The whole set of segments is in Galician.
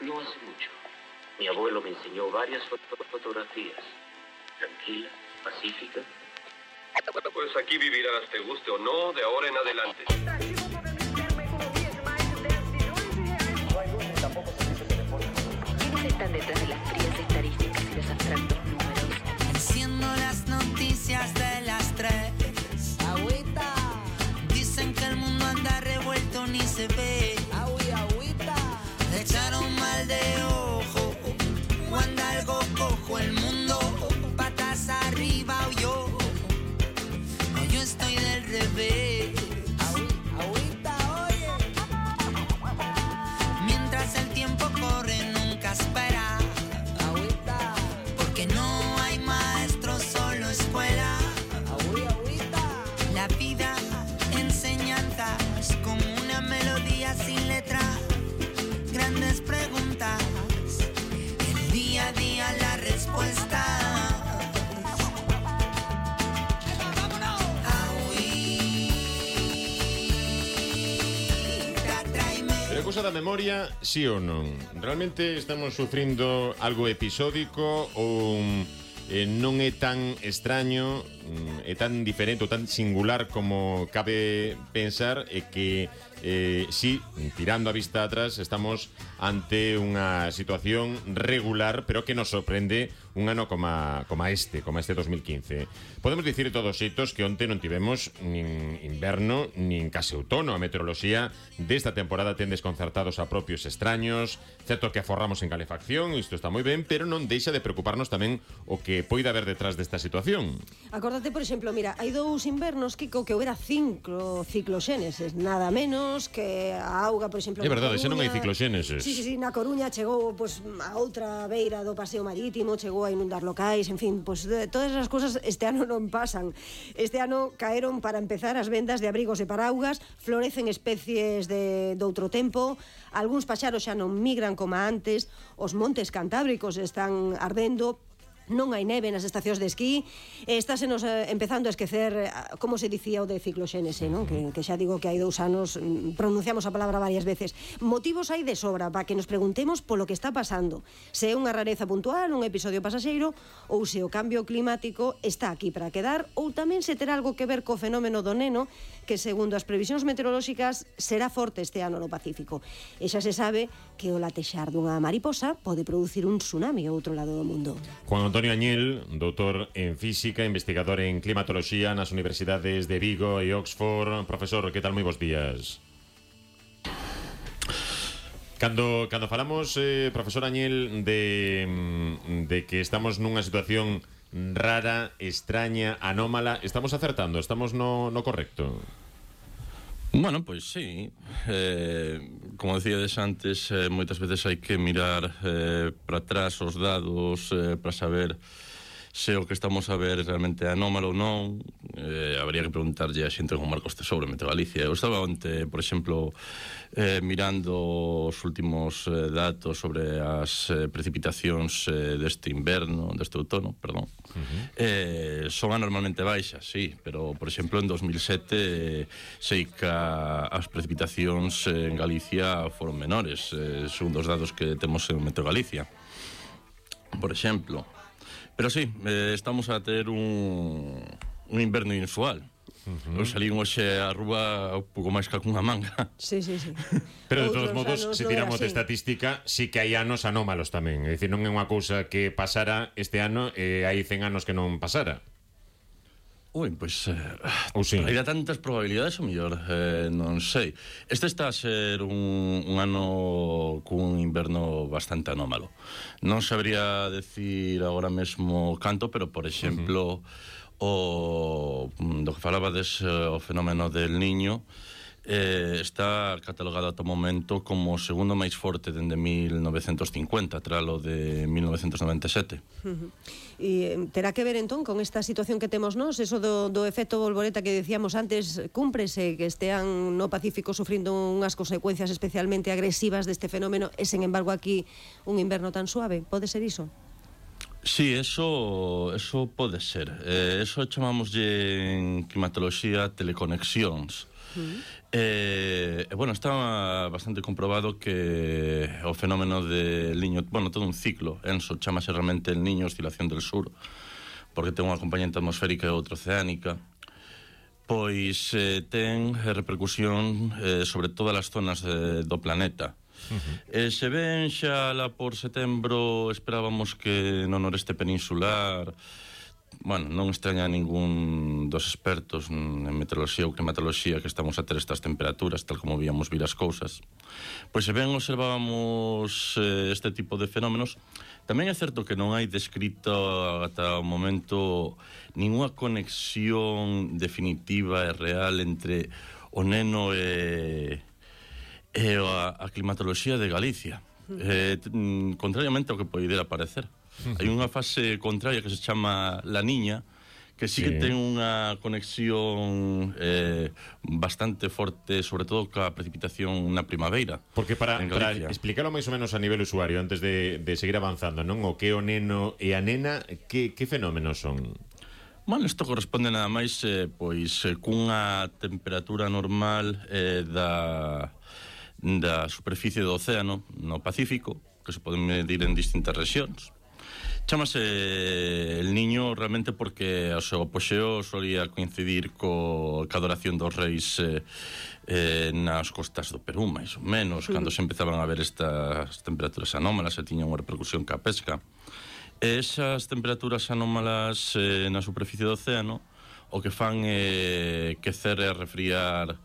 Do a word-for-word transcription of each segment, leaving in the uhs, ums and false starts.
No hace mucho. Mi abuelo me enseñó varias foto fotografías. Tranquila, pacífica. Pues aquí vivirás, te guste o no, de ahora en adelante. ¿Quiénes están detrás de las frías estadísticas y los abstractos números? Enciendo las noticias de las tres. Agüita. Dicen que el mundo anda revuelto, ni se ve. Agüi, agüita. Le echaron mal de ojo. O anda algo cojo el mundo. Patas arriba o yo. O yo estoy del revés. Agüi, agüita, oye. Mientras el tiempo corre, nunca espera. Agüita. Porque no hay maestro, solo escuela. Agüi, agüita. La vida, enseñanzas, como una melodía sin letra. Grandes preguntas, el día a día la respuesta. Pero a cousa da memoria, sí ou non? Realmente estamos sufrindo algo episódico ou eh, non é tan extraño, é tan diferente ou tan singular como cabe pensar, e que eh, sí, tirando a vista atrás, estamos ante unha situación regular, pero que nos sorprende un ano como, como este, como este dos mil quince. Podemos dicir de todos xeitos que onte non tivemos nin inverno, nin case outono. A meteoroloxía desta temporada ten desconcertados a propios extraños. Certo que aforramos en calefacción, isto está moi ben, pero non deixa de preocuparnos tamén o que poida haber detrás desta situación. Acórdate, por exemplo, mira, hai dous invernos, Kiko, que houbera cinco cicloxéneses, nada menos que a auga, por exemplo. É verdade, xa non hai cicloxéneses. Sí, sí, sí, na Coruña chegou pois, a outra beira do paseo marítimo, chegou a inundar locais, en fin, pois, todas as cousas este ano non pasan. Este ano caeron, para empezar, as vendas de abrigos e paraugas, florecen especies de, de outro tempo, algúns paxaros xa non migran como antes, os montes cantábricos están ardendo, non hai neve nas estacións de esquí, e estásenos eh, empezando a esquecer, como se dicía o de cicloxénese, non? Que, que xa digo que hai dous anos pronunciamos a palabra varias veces. Motivos hai de sobra para que nos preguntemos polo que está pasando, se é unha rareza puntual, un episodio pasaxeiro, ou se o cambio climático está aquí para quedar, ou tamén se terá algo que ver co fenómeno do Neno, que segundo as previsións meteorolóxicas será forte este ano no Pacífico. E xa se sabe que o latexar dunha mariposa pode producir un tsunami ao outro lado do mundo. Juan Antonio Añil, doutor en Física, investigador en Climatoloxía nas universidades de Vigo e Oxford. Profesor, que tal? Moi bons días. Cando, cando falamos, eh, profesor Añil, de, de que estamos nunha situación rara, extraña, anómala, estamos acertando, estamos no, no correcto? Bueno, pois sí, eh, como decíades antes, eh, moitas veces hai que mirar eh, para atrás os dados eh, para saber se o que estamos a ver realmente é anómalo ou non. Eh, habría que preguntarlle a xente como Marcos Tesouro, Meteo Galicia. Eu estaba onte, por exemplo, eh, mirando os últimos eh, datos sobre as eh, precipitacións eh, deste inverno, deste outono, perdón. Uh-huh. eh, son anormalmente baixas, sí, pero, por exemplo, en dos mil sete eh, sei que as precipitacións en Galicia foron menores, eh, segundo os dados que temos en Meteo Galicia, por exemplo. Pero sí, eh, estamos a ter un, un inverno inusual. Uh-huh. Eu salí hoxe á rúa un pouco máis que cunha manga. Sí, sí, sí. Pero de todos modos, se tiramos de estatística, sí que hai anos anómalos tamén. É dicir, non é unha cousa que pasara este ano e hai cen anos que non pasara. Ui, pois eh, ou sí. Hai tantas probabilidades, o mellor, eh, non sei. Este está a ser un, un ano cun inverno bastante anómalo. Non sabría decir agora mesmo canto, pero, por exemplo, uh-huh. o do que falabades, o fenómeno del Niño, eh, está catalogado ata o momento como o segundo máis forte dende mil novecentos cincuenta, tralo de mil novecentos noventa e sete. Uh-huh. E terá que ver entón con esta situación que temos nós, eso do, do efecto bolboreta que decíamos antes, cúmprese que estean no Pacífico sufrindo unhas consecuencias especialmente agresivas deste fenómeno e, sen embargo, aquí un inverno tan suave. Pode ser iso? Sí, eso, eso pode ser. Eh, eso chamámoslle en climatoloxía teleconexións. Uh-huh. E, eh, bueno, está bastante comprobado que o fenómeno del Niño, bueno, todo un ciclo, Enso, chamase realmente el Niño, oscilación del sur, porque ten unha componente atmosférica e outra oceánica, pois eh, ten repercusión eh, sobre todas as zonas de, do planeta. Uh-huh. E se ven xa lá por setembro, esperábamos que no noreste peninsular, bueno, non extraña a ningún dos expertos en meteoroloxía ou climatoloxía que estamos a ter estas temperaturas, tal como víamos vir as cousas. Pois se ben observábamos eh, este tipo de fenómenos, tamén é certo que non hai descrito ata o momento ninguna conexión definitiva e real entre o neno e, e a, a climatoloxía de Galicia. Eh, contrariamente ao que poidera parecer. Hai unha fase contraria que se chama La Niña, que sí, sí. que ten unha conexión eh, bastante forte, sobre todo ca precipitación na primavera. Porque para, para explicarlo máis ou menos a nivel usuario, antes de, de seguir avanzando, non? O que o neno e a nena, que, que fenómenos son? Bueno, isto corresponde nada máis eh, pois eh, cunha temperatura normal eh, da, da superficie do océano no Pacífico, que se poden medir en distintas rexións. Chámase el Niño realmente porque o seu apoxeo solía coincidir co, ca adoración dos reis eh, eh, nas costas do Perú, máis ou menos, cando se empezaban a ver estas temperaturas anómalas e tiñan unha repercusión ca pesca. E esas temperaturas anómalas eh, na superficie do océano o que fan é quecer e refriar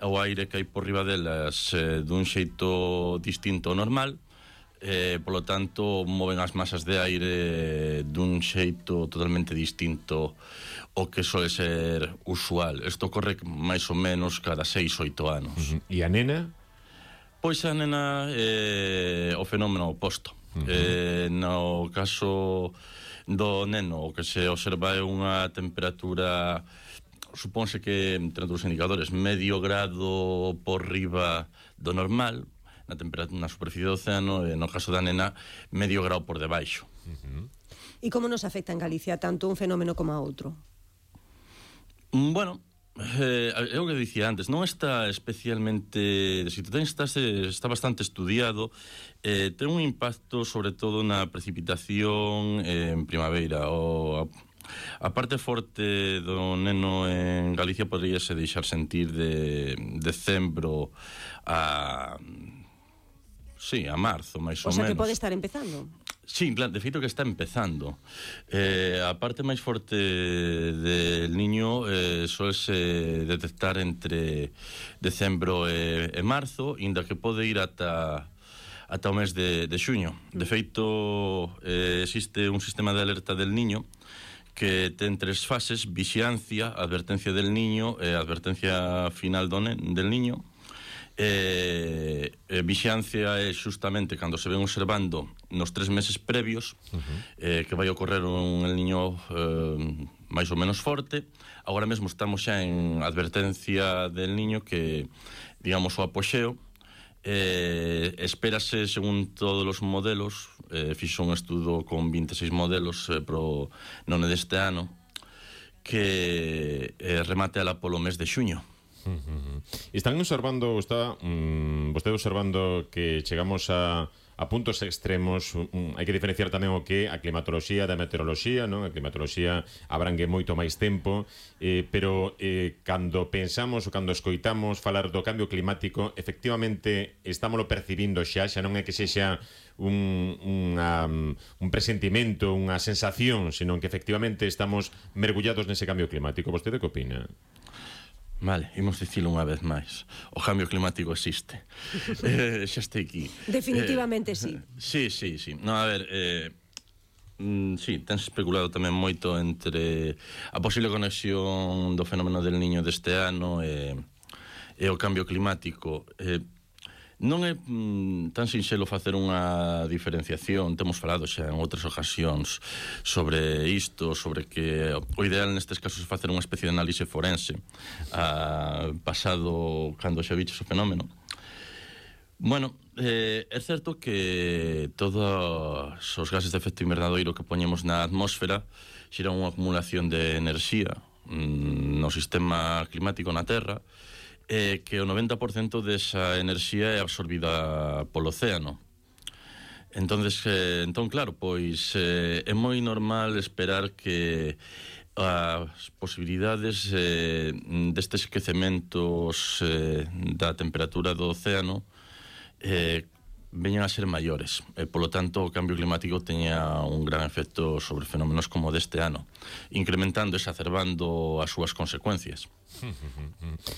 o aire que hai por riba delas eh, dun xeito distinto ao normal. Eh, polo tanto, moven as masas de aire dun xeito totalmente distinto ao que sole ser usual. Isto ocorre máis ou menos cada seis, oito anos. Uh-huh. E a nena? Pois a nena é eh, o fenómeno oposto. Uh-huh. Eh, no caso do neno, o que se observa é unha temperatura, supónse que, entre outros indicadores, medio grado por riba do normal, na temperatura na superficie do océano, e no caso da nena medio grau por debaixo. Uh-huh. E como nos afecta en Galicia tanto un fenómeno como a outro? Bueno, eh, é o que dicía antes, non está especialmente, se si está, está bastante estudiado, eh, ten un impacto sobre todo na precipitación eh, en primavera. O, a, a parte forte do neno en Galicia podríase deixar sentir de decembro a... Sí, a marzo, máis ou menos. O sea, que pode estar empezando. Sí, de feito que está empezando. Eh, a parte máis forte del Niño eh, solese detectar entre decembro e, e marzo, inda que pode ir ata, ata o mes de, de xuño. De feito, eh, existe un sistema de alerta del Niño que ten tres fases: vixiancia, advertencia del Niño e advertencia final do ne, del Niño. Eh, eh, vixiancia é justamente cando se ven observando nos tres meses previos uh-huh. eh, que vai ocorrer un el Niño eh, máis ou menos forte. Agora mesmo estamos xa en advertencia del Niño, que, digamos, o apoxeo eh, espérase, según todos os modelos, eh, fixo un estudo con vinte e seis modelos eh, pro none deste ano, que eh, remate ala polo mes de xuño. Uh-huh. Están observando, está um, vostede observando que chegamos a, a puntos extremos. Um, hai que diferenciar tamén o que a climatoloxía da meteoroloxía, non? A climatoloxía abrangue moito máis tempo, eh, pero eh, cando pensamos ou cando escoitamos falar do cambio climático, efectivamente estámoslo percibindo xa, xa non é que sexa un, unha, un presentimento, unha sensación, senón que efectivamente estamos mergullados nese cambio climático. Vostede que opina? Vale, imos dicilo unha vez máis. O cambio climático existe. eh, xa este aquí. Definitivamente eh, sí. Sí, sí, sí. No, a ver, eh, mm, sí, ten especulado tamén moito entre a posible conexión do fenómeno del Niño deste ano e, e o cambio climático. Eh, non é mm, tan sinxelo facer unha diferenciación. Temos falado xa en outras ocasións sobre isto, sobre que o ideal nestes casos é facer unha especie de análise forense a pasado cando xa viches o fenómeno. Bueno, eh, é certo que todos os gases de efecto invernadoiro que poñemos na atmósfera xeran unha acumulación de enerxía mm, no sistema climático na Terra, eh, que o noventa por cento desa enerxía é absorbida polo océano. Entonces, eh, entón, claro, pois eh, é moi normal esperar que as posibilidades eh, destes esquecementos eh, da temperatura do océano eh, veñan a ser maiores e, polo tanto, o cambio climático teña un gran efecto sobre fenómenos como deste ano, incrementando e exacerbando as súas consecuencias.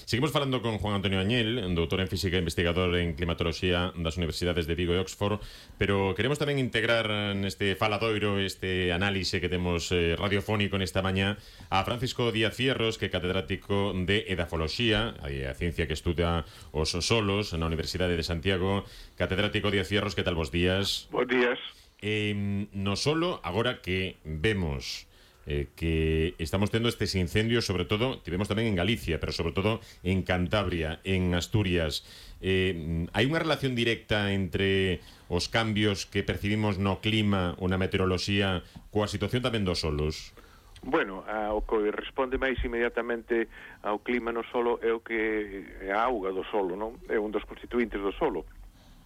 Seguimos falando con Juan Antonio Añel, doutor en Física e investigador en Climatoloxía das Universidades de Vigo e Oxford, pero queremos tamén integrar neste faladoiro, este análise que temos eh, radiofónico nesta mañá, a Francisco Díaz Fierros, que é catedrático de Edafoloxía, a ciencia que estuda os solos na Universidade de Santiago. Catedrático Díaz Fierros, que tal, vos días? Bos días. Eh, no solo, agora que vemos eh, que estamos tendo estes incendios, sobre todo, tivemos tamén en Galicia, pero sobre todo en Cantabria, en Asturias. Eh, hai unha relación directa entre os cambios que percibimos no clima ou na meteoroloxía coa situación tamén dos solos? Bueno, a, o que responde máis inmediatamente ao clima no solo é o que é a auga do solo, non? É un dos constituintes do solo.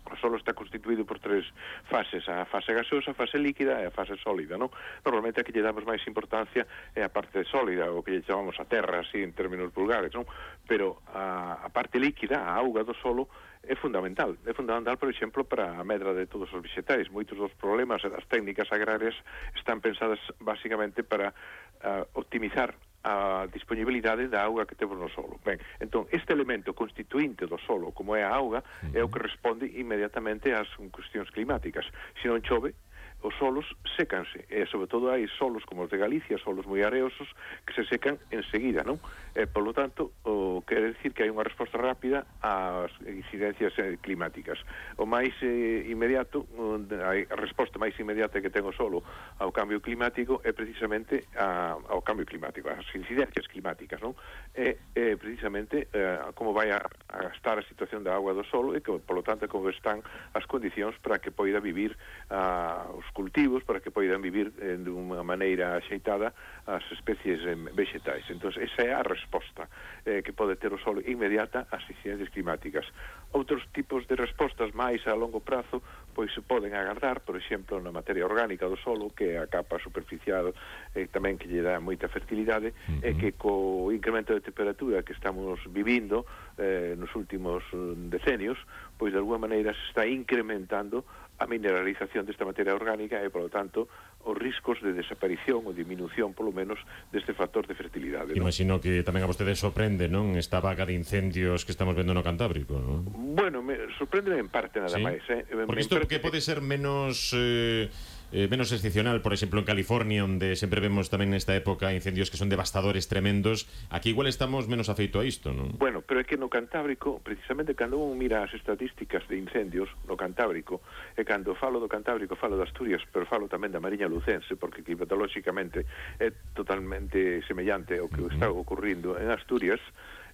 O solo está constituído por tres fases, a fase gaseosa, a fase líquida e a fase sólida, non? Normalmente a que lle damos máis importancia é a parte sólida, o que lle chamamos a terra, así en términos vulgares, non? Pero a, a parte líquida, a auga do solo, é fundamental. É fundamental, por exemplo, para a medra de todos os vegetais. Moitos dos problemas das técnicas agrarias están pensadas basicamente para uh, optimizar a disponibilidade da auga que temos no solo. Ben, entón, este elemento constituinte do solo, como é a auga, uh-huh. é o que responde inmediatamente ás cuestións climáticas. Se non chove, os solos sécanse, e sobre todo hai solos como os de Galicia, solos moi areosos, que se secan enseguida, non? E, polo tanto, o quere dicir que hai unha resposta rápida ás incidencias eh, climáticas. O máis eh, inmediato, a resposta máis inmediata que ten o solo ao cambio climático é precisamente a, ao cambio climático, as incidencias climáticas, non? É, é precisamente eh, como vai a, a estar a situación da agua do solo e que, polo tanto, como están as condicións para que poida vivir a, os cultivos, para que poidan vivir eh, de unha maneira axeitada as especies eh, vegetais. Entón, esa é a resposta eh, que pode ter o solo inmediata ás incidencias climáticas. Outros tipos de respostas máis a longo prazo pois se poden agardar, por exemplo, na materia orgánica do solo, que é a capa superficial eh, tamén que lle dá moita fertilidade, uh-huh. e que co incremento de temperatura que estamos vivindo eh, nos últimos decenios, pois de alguma maneira se está incrementando a mineralización desta materia orgánica e, polo tanto, os riscos de desaparición ou diminución, polo menos, deste factor de fertilidade. Imagino ¿no? que tamén a vostede sorprende, non? Esta vaga de incendios que estamos vendo no Cantábrico, non? Bueno, me sorprende en parte nada ¿Sí? máis, eh? Porque isto que pode ser menos... Eh... Eh, menos excepcional, por exemplo, en California, onde sempre vemos tamén nesta época incendios que son devastadores, tremendos. Aquí igual estamos menos afeito a isto, non? Bueno, pero é que no Cantábrico, precisamente cando un mira as estatísticas de incendios no Cantábrico, e cando falo do Cantábrico falo de Asturias, pero falo tamén da Mariña Lucense, porque climatolóxicamente é totalmente semellante ao que uh-huh. está ocurrindo en Asturias,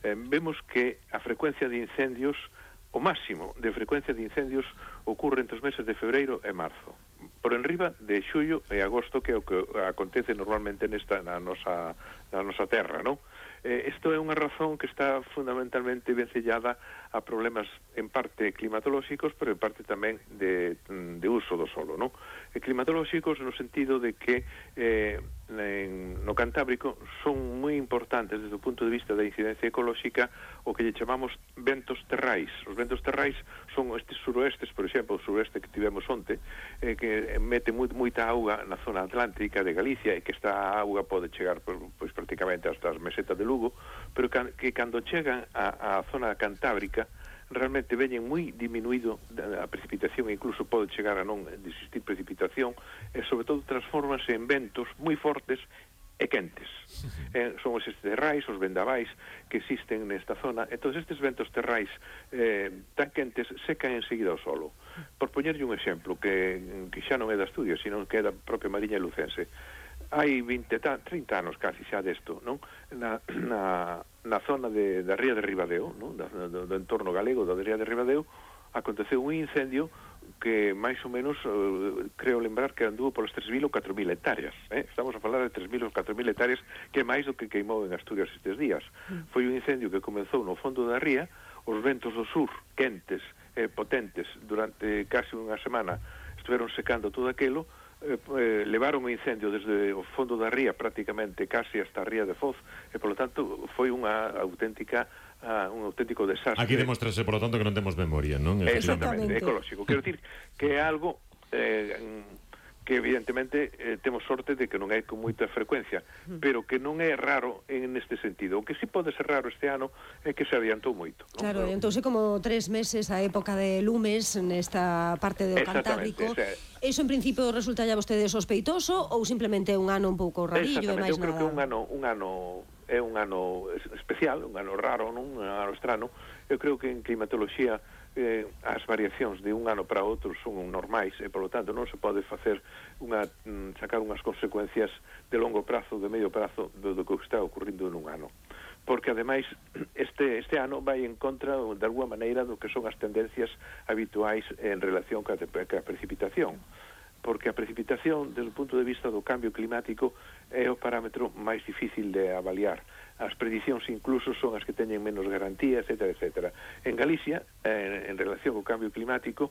eh, vemos que a frecuencia de incendios, o máximo de frecuencia de incendios ocorre entre os meses de febreiro e marzo, por enriba de xullo e agosto, que é o que acontece normalmente nesta na nosa na nosa terra, non? Eh, isto é unha razón que está fundamentalmente vencellada a problemas en parte climatolóxicos, pero en parte tamén de, de uso do solo, non? E climatolóxicos no sentido de que eh, en, no Cantábrico son moi importantes desde o punto de vista da incidencia ecolóxica o que lle chamamos ventos terrais. Os ventos terrais son estes suroestes, por exemplo, o suroeste que tivemos onte, eh, que mete moi, moita auga na zona atlántica de Galicia e que esta auga pode chegar pois, pois prácticamente hasta as mesetas de Lugo, pero que, que cando chegan á zona cantábrica realmente veñen moi diminuído a precipitación, e incluso pode chegar a non existir precipitación, e sobre todo transformanse en ventos moi fortes e quentes. Eh, son os terrais, os vendavais que existen nesta zona. Entón, estes ventos terrais eh, tan quentes secan enseguida o solo. Por poñerlle un exemplo que, que xa non é de Asturias, sino que é da propia Mariña Lucense. Hai vinte, trinta anos casi xa desto, non? Na, na, na zona de, da ría de Ribadeo, non? Da, do, do entorno galego da ría de Ribadeo, aconteceu un incendio que máis ou menos, uh, creo lembrar que anduvo polas tres mil ou catro mil hectáreas. Eh? Estamos a falar de tres mil ou catro mil hectáreas, que é máis do que queimou en Asturias estes días. Mm. Foi un incendio que comezou no fondo da ría, os ventos do sur, quentes, eh, potentes, durante casi unha semana, estiveron secando todo aquilo, eh, eh, levaron o incendio desde o fondo da ría prácticamente casi hasta a ría de Foz, e polo tanto foi unha auténtica uh, un auténtico desastre. Aquí demostrase, por lo tanto, que non temos memoria, non? Exactamente, ecolóxico. Quero dicir que é algo eh, que evidentemente eh, temos sorte de que non hai con moita frecuencia, pero que non é raro en este sentido. O que sí pode ser raro este ano é que se adiantou moito, non? Claro, adiantouse como tres meses a época de lumes nesta parte do Cantábrico. Ese... Eso en principio resulta ya vostede sospeitoso ou simplemente un ano un pouco rarillo e máis nada? Eu creo nada? que un ano, un ano é un ano especial, un ano raro, non? Un ano estrano. Eu creo que en climatoloxía eh, as variacións de un ano para outro son normais e, polo tanto, non se pode facer unha, sacar unhas consecuencias de longo prazo, de medio prazo do, do que está ocurrindo nun ano. Porque, ademais, este, este ano vai en contra, de alguma maneira, do que son as tendencias habituais en relación ca, ca precipitación. Porque a precipitación, desde o punto de vista do cambio climático, é o parámetro máis difícil de avaliar. As predicións incluso son as que teñen menos garantía, etcétera, etcétera. En Galicia, eh, en relación ao cambio climático,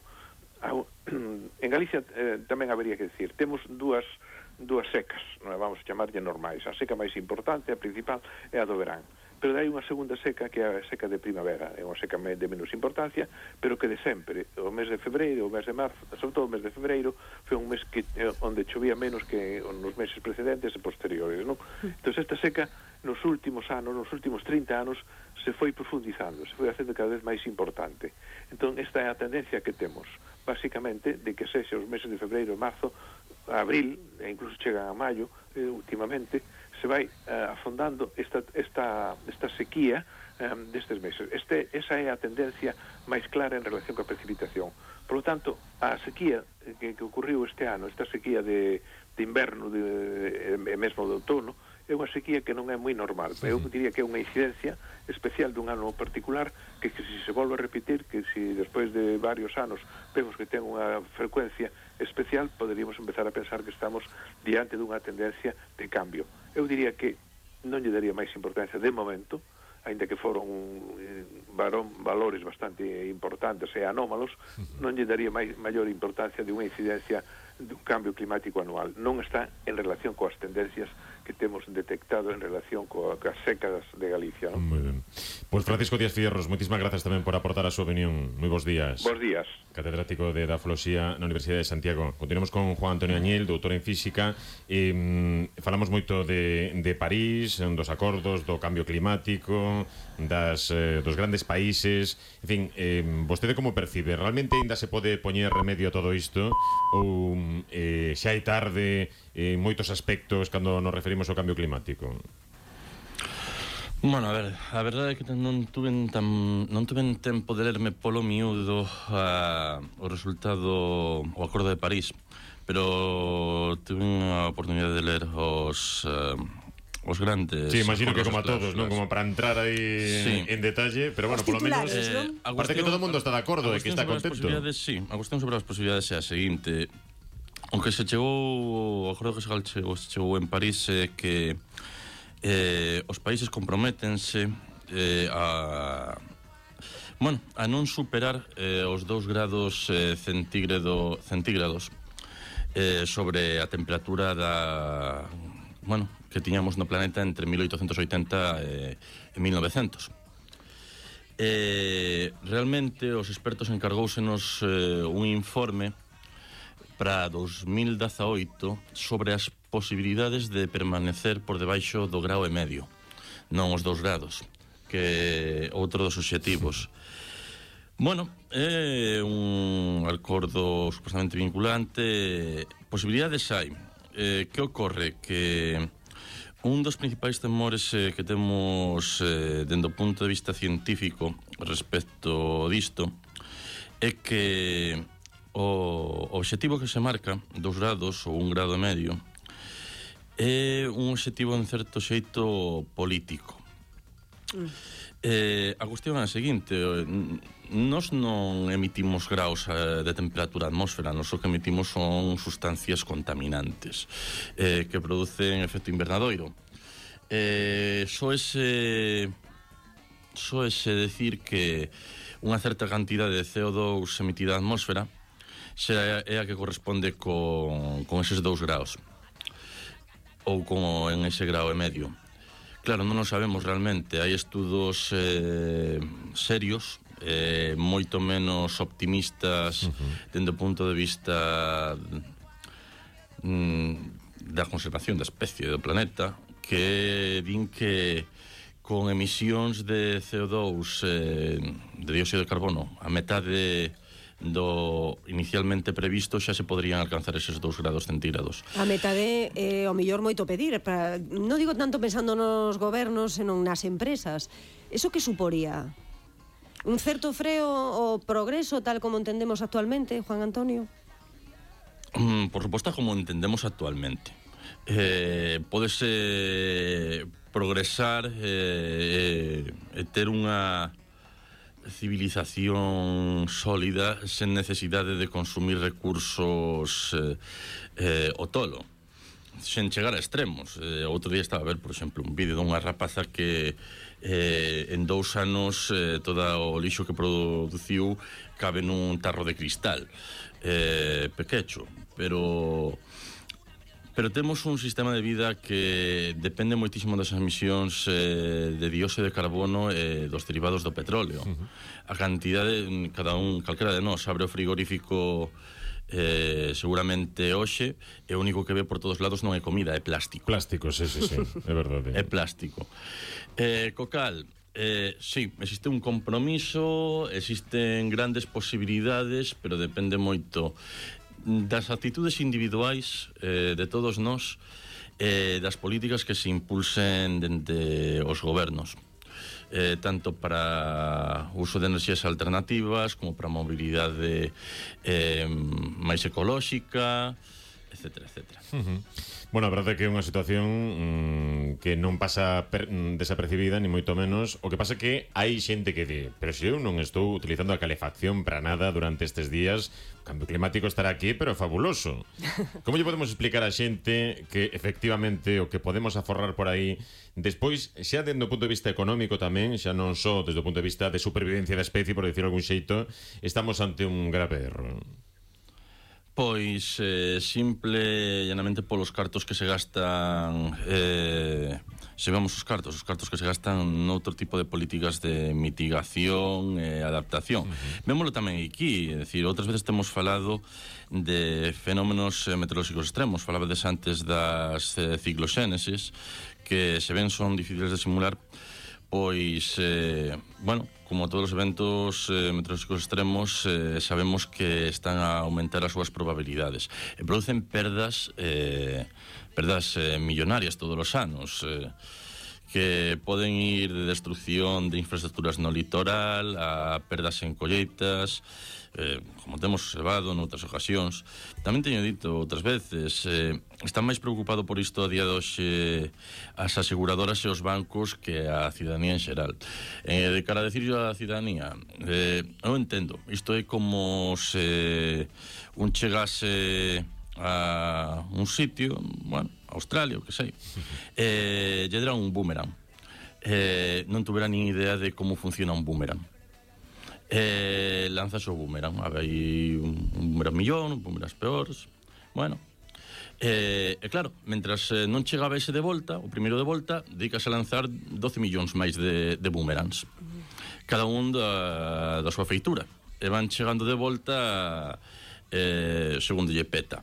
ao, en Galicia eh, tamén habería que decir, temos dúas dúas secas, non vamos a chamarlle normais. A seca máis importante, a principal, é a do verán. Pero hai unha segunda seca que é a seca de primavera, é unha seca de menos importancia, pero que de sempre, o mes de febreiro, o mes de marzo, sobre todo o mes de febreiro, foi un mes que eh, onde chovía menos que nos meses precedentes e posteriores, non? Entón, esta seca nos últimos anos, nos últimos trinta anos, se foi profundizando, se foi facendo cada vez máis importante. Entón, esta é a tendencia que temos, basicamente, de que sexa os meses de febreiro, marzo, abril, e incluso chegan a maio, eh, últimamente, se vai uh, afondando esta, esta, esta sequía um, destes meses. Este, esa é a tendencia máis clara en relación coa precipitación. Por lo tanto, a sequía que, que ocurriu este ano, esta sequía de, de inverno de, e mesmo de outono, é unha sequía que non é moi normal. Eu diría que é unha incidencia especial dun ano particular que, que se se volve a repetir, que se despois de varios anos vemos que ten unha frecuencia especial, poderíamos empezar a pensar que estamos diante dunha tendencia de cambio. Eu diría que non lle daría máis importancia de momento, aínda que foron eh, varón, valores bastante importantes e anómalos, non lle daría máis, maior importancia de unha incidencia dun cambio climático anual. Non está en relación coas tendencias que temos detectado en relación coa, coas secas de Galicia, ¿no? Moi ben. Pois Francisco Díaz Fierros, moitísimas grazas tamén por aportar a súa opinión. Moi bons días. Bos días. Catedrático de Edafoloxía na Universidade de Santiago. Continuamos con Juan Antonio Añil, doutor en Física. Eh, falamos moito de, de París, dos acordos, do cambio climático, das, eh, dos grandes países. En fin, eh, vostede como percibe? Realmente ainda se pode poñer remedio a todo isto? Ou eh, xa hai tarde en moitos aspectos cando nos referimos ao cambio climático? Bueno, a ver, a verdade é que non tuven tan, non tuven tempo de lerme polo miúdo a, o resultado, o Acordo de París, pero tuve a oportunidade de ler os uh, os grandes. Sí, imagino que como a todos, non? Como para entrar aí sí. en detalle, pero bueno, por lo menos eh, parece que todo o mundo está de acordo e que está contento. Sí, a cuestión sobre as posibilidades é a seguinte: aunque se chegou, o acordo que se chegou, se chegou en París é que eh, os países comprométense eh, a bueno, a non superar eh, os dous grados eh, centígrado, centígrados eh, sobre a temperatura da bueno, que tiñamos no planeta entre mil oitocentos oitenta e, e mil novecientos. Eh, realmente os expertos encargóusenos eh, un informe para dos mil dezaoito sobre as posibilidades de permanecer por debaixo do grao e medio, non os dous grados, que é outro dos obxectivos. Bueno, é un acordo supostamente vinculante. Posibilidades hai. Eh, que ocorre? Que un dos principais temores eh, que temos eh, dende o punto de vista científico respecto disto é que o obxectivo que se marca, dos grados ou un grado e medio, é un obxectivo en certo xeito político. Mm. Eh, a cuestión é a seguinte, nós non emitimos graus de temperatura na atmósfera, nós o que emitimos son sustancias contaminantes eh, que producen efecto invernadoiro. Eh, só ese só ese decir que unha certa cantidad de C O dos emitida na atmósfera xa é a que corresponde con, con eses dous graus ou con en ese grau e medio. Claro, non o sabemos realmente. Hai estudos eh, serios, eh, moito menos optimistas uh-huh. dende o punto de vista mm, da conservación da especie do planeta, que din que con emisións de C O dos, eh, de dióxido de carbono, a metade do inicialmente previsto xa se poderían alcanzar eses dous grados centígrados. A metade é eh, o mellor moito pedir, para, non digo tanto pensando nos gobernos, senón nas empresas. Eso que suporía? Un certo freo ao progreso tal como entendemos actualmente, Juan Antonio? Mm, por suposto, como entendemos actualmente. Eh, podese progresar e eh, eh, ter unha civilización sólida sen necesidade de consumir recursos eh, eh, o tolo, sen chegar a extremos. Eh, outro día estaba a ver, por exemplo, un vídeo dunha rapaza que eh, en dous anos eh, todo o lixo que produciu cabe nun tarro de cristal eh, pequecho, pero pero temos un sistema de vida que depende moitísimo das emisións eh, de dióxido de carbono e eh, dos derivados do petróleo. Uh-huh. A cantidade, cada un, calquera de nós abre o frigorífico eh, seguramente hoxe, e o único que ve por todos lados non é comida, é plástico. Plástico, sí, sí, sí, é verdade. É plástico. Eh, cocal, eh, sí, existe un compromiso, existen grandes posibilidades, pero depende moito das actitudes individuais eh, de todos nós, eh, das políticas que se impulsen dende os gobernos, eh, tanto para uso de enerxías alternativas como para mobilidade eh, máis ecolóxica, etcétera, etcétera. Uh-huh. Bueno, a verdade é que é unha situación mmm, que non pasa per, mm, desapercibida, ni moito menos. O que pasa é que hai xente que di, pero se eu non estou utilizando a calefacción para nada durante estes días, o cambio climático estará aquí, pero é fabuloso. Como lle podemos explicar a xente que efectivamente o que podemos aforrar por aí, despois, xa dende o punto de vista económico tamén, xa non só desde o punto de vista de supervivencia da especie, por decirlo algún xeito, estamos ante un grave erro? Pois eh, simple e llanamente polos cartos que se gastan, eh, se vemos os cartos, os cartos que se gastan noutro tipo de políticas de mitigación e adaptación. Uh-huh. Vémolo tamén aquí, é dicir, outras veces temos falado de fenómenos meteorolóxicos extremos, falabades antes das eh, cicloxénesis, que se ven son difíciles de simular. Pois, eh, bueno, como todos os eventos eh, meteorolóxicos extremos, eh, sabemos que están a aumentar as súas probabilidades e producen perdas eh, perdas eh, millonarias todos os anos, eh, que poden ir de destrucción de infraestructuras no litoral a perdas en colleitas, eh, como temos observado noutras ocasións. Tamén teño dito outras veces, eh, están máis preocupado por isto a día de hoxe as aseguradoras e os bancos que a cidadanía en xeral. Eh, de cara a decirlo a cidadanía, eh, eu entendo, isto é como se un chegase a un sitio, bueno, Australia, o que sei, eh, lle dera un boomerang, eh, non tuvera nin idea de como funciona un boomerang. Eh, lanzas o boomerang, hai un, un boomerang millón, un boomerang peores, bueno, eh, e claro, mentras eh, non chegaba ese de volta, o primeiro de volta, dedicas a lanzar doce millóns máis de, de boomerangs, cada un da, da súa feitura, e van chegando de volta eh, segundo lle peta.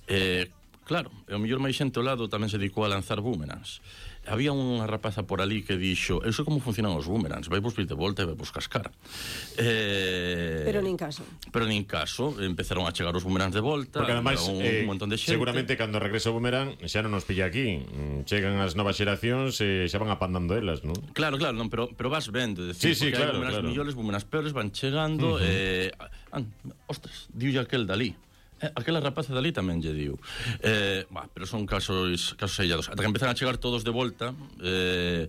Eh, claro, e o mellor máis xente ao lado tamén se dedicou a lanzar boomerangs. Había unha rapaza por ali que dixo, eu sei como funcionan os boomerangs, vai vos vir de volta e vai vos cascar. Eh, pero nin caso. Pero nin caso, empezaron a chegar os boomerangs de volta, porque ademais, un, eh, un montón de xente. Seguramente cando regresa o boomerang xa non nos pilla aquí, chegan as novas xeracións e xa van apandando elas, non? Claro, claro, non, pero, pero vas vendo, decir, sí, sí, porque claro, hai boomerangs claro. millores, boomerangs peores, van chegando, uh-huh. eh, ah, ostras, diulle aquel dali. Aquela rapaza dali tamén lle diu. Eh, bah, pero son casos casos aillados. Ata que empezan a chegar todos de volta, eh,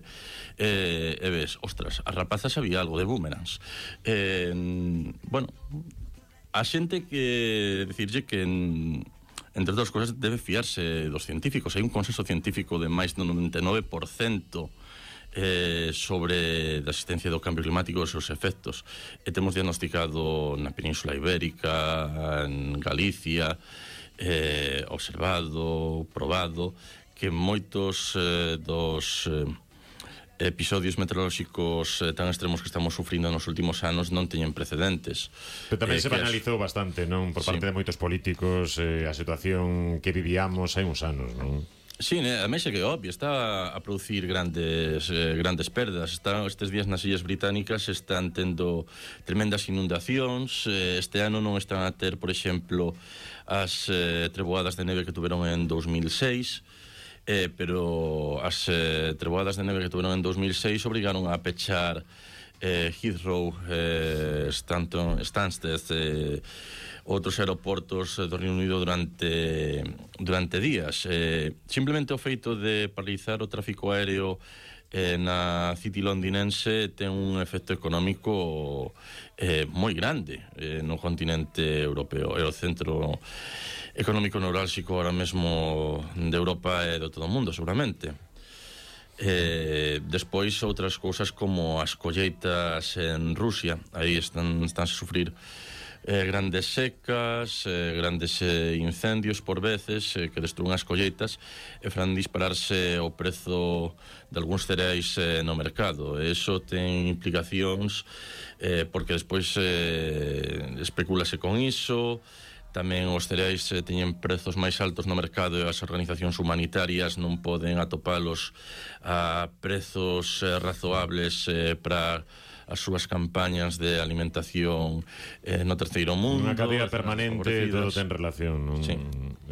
eh, e ves, ostras, a rapaza sabía algo de boomerangs. Eh, bueno, a xente que decirlle que entre outras cousas debe fiarse dos científicos. Hai un consenso científico de máis do noventa e nove por cento Eh, sobre a existencia do cambio climático e os seus efectos. E temos diagnosticado na Península Ibérica, en Galicia, eh, observado, probado, que moitos eh, dos eh, episodios meteorolóxicos eh, tan extremos que estamos sufrindo nos últimos anos non teñen precedentes. Pero tamén eh, se banalizou as... bastante, non? Por parte sí. de moitos políticos, eh, a situación que vivíamos hai uns anos, non? Sí, a mí é que obvio, está a producir grandes eh, grandes perdas. Está, estes días nas Illas Británicas están tendo tremendas inundacións. eh, Este ano non están a ter, por exemplo, as eh, treboadas de neve que tuveron en dos mil seis, eh, pero as eh, treboadas de neve que tuveron en dos mil seis obrigaron a pechar eh, Heathrow, eh, Stanton, Stansted, eh, outros aeroportos do Reino Unido durante durante días. Eh, simplemente o feito de paralizar o tráfico aéreo eh, na City londinense ten un efecto económico eh, moi grande eh, no continente europeo. É o centro económico neurálxico ahora mesmo de Europa e de todo o mundo, seguramente. Eh, despois outras cousas como as colleitas en Rusia, aí están, están a sufrir Eh, grandes secas, eh, grandes eh, incendios por veces eh, que destruen as colleitas e fan dispararse o prezo de algúns cereais eh, no mercado. E iso ten implicacións eh, porque despois eh, especulase con iso. Tamén os cereais eh, teñen prezos máis altos no mercado e as organizacións humanitarias non poden atopalos a prezos eh, razoables eh, para as súas campañas de alimentación eh, no terceiro mundo. Unha cadea permanente, todo ten relación, non? Sí.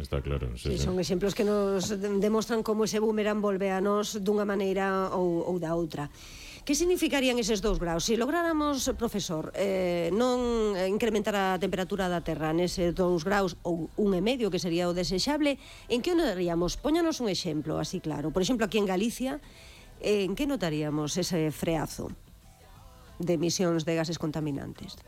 Está claro. Sí, sí. Son exemplos que nos demostran como ese boomerang volve a nos dunha maneira ou, ou da outra. Que significarían eses dous graus? Se lográramos, profesor, eh, non incrementar a temperatura da Terra nese dous graus ou un e medio, que sería o desexable, en que o notaríamos? Póñanos un exemplo, así claro. Por exemplo, aquí en Galicia, eh, en que notaríamos ese freazo de emisións de gases contaminantes?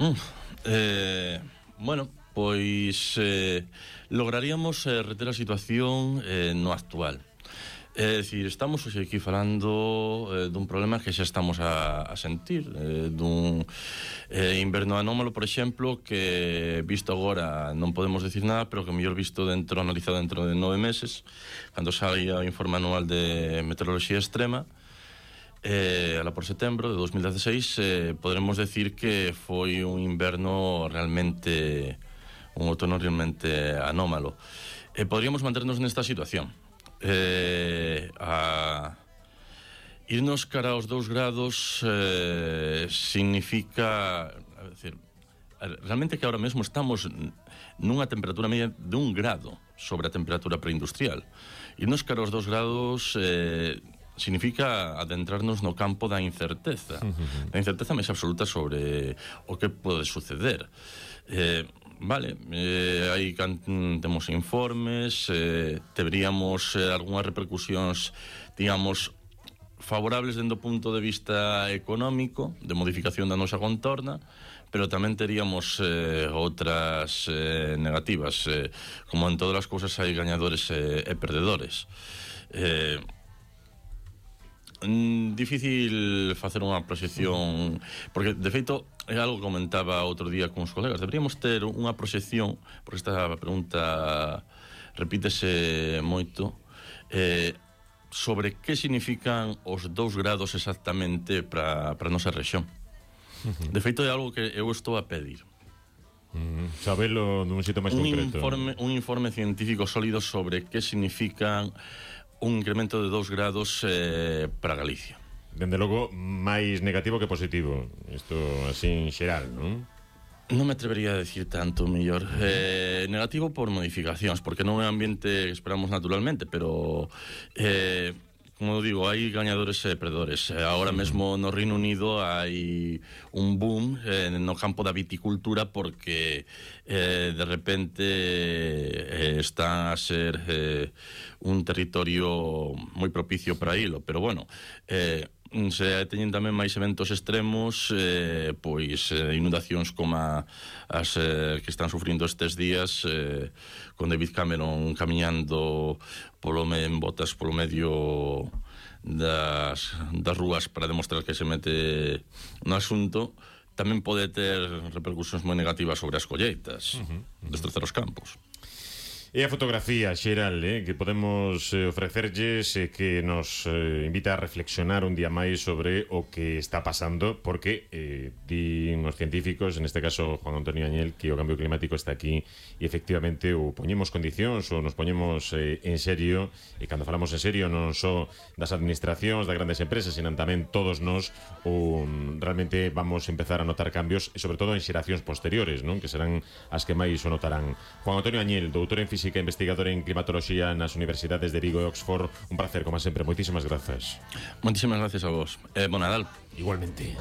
Mm, eh, bueno, pois eh, lograríamos eh, reter a situación eh, no actual. É dicir, estamos hoxe aquí falando eh, dun problema que xa estamos a, a sentir, eh, dun eh, inverno anómalo, por exemplo, que visto agora non podemos decir nada, pero que mellor visto dentro, analizado dentro de nove meses, cando saia o informe anual de meteoroloxía extrema, Eh, ala por setembro de dos mil dieciséis, eh, podremos decir que foi un inverno realmente, un outono realmente anómalo. Eh, podríamos manternos nesta situación. Eh, a irnos cara aos dous grados eh, significa, a decir, realmente que ahora mesmo estamos nunha temperatura media de un grado sobre a temperatura preindustrial. Irnos cara aos dous grados eh, significa adentrarnos no campo da incerteza, uh-huh. da incerteza máis absoluta sobre o que pode suceder. Eh, vale, eh, aí temos informes, eh, teríamos eh, algunhas repercusións, digamos, favorables dentro do punto de vista económico, de modificación da nosa contorna, pero tamén teríamos eh, outras eh, negativas. Eh, como en todas as cousas hai gañadores e, e perdedores. Eh, difícil facer unha proxección, porque de feito é algo que comentaba outro día con os colegas, deberíamos ter unha proxección, porque esta pregunta repítese moito, eh, sobre que significan os dous grados exactamente para a nosa rexión. De feito é algo que eu estou a pedir. Mm, sabelo dun xeito máis un concreto. Informe, un informe científico sólido sobre que significan un incremento de dous grados eh, para Galicia. Dende logo, máis negativo que positivo. Isto así en xeral, non? Non me atrevería a decir tanto, mellor. Eh, negativo por modificacións, porque non é un ambiente que esperamos naturalmente, pero eh, como digo, hai gañadores e perdedores. Ahora mesmo no Reino Unido hai un boom eh, no campo da viticultura porque eh, de repente eh, está a ser eh, un territorio moi propicio para ilo, pero bueno, eh, se teñen tamén máis eventos extremos, eh, pois eh, inundacións como a, as eh, que están sufrindo estes días, eh, con David Cameron camiñando polo me, en botas polo medio das, das rúas para demostrar que se mete no asunto, tamén pode ter repercusións moi negativas sobre as colleitas, uh -huh, uh -huh. destrozar os campos. E a fotografía xeral eh, que podemos eh, ofrecerlles e eh, que nos eh, invita a reflexionar un día máis sobre o que está pasando, porque eh, di uns científicos, en este caso Juan Antonio Añel, que o cambio climático está aquí e efectivamente o poñemos condicións ou nos poñemos eh, en serio, e cando falamos en serio non só das administracións, das grandes empresas, sino tamén todos nós, o, realmente vamos a empezar a notar cambios e sobre todo en xeracións posteriores, non? Que serán as que máis o notarán. Juan Antonio Añel, doutor en física, investigador en climatoloxía nas universidades de Vigo e Oxford, un placer, como sempre, moitísimas grazas. Moitísimas gracias a vos. Eh, bon Nadal. Igualmente.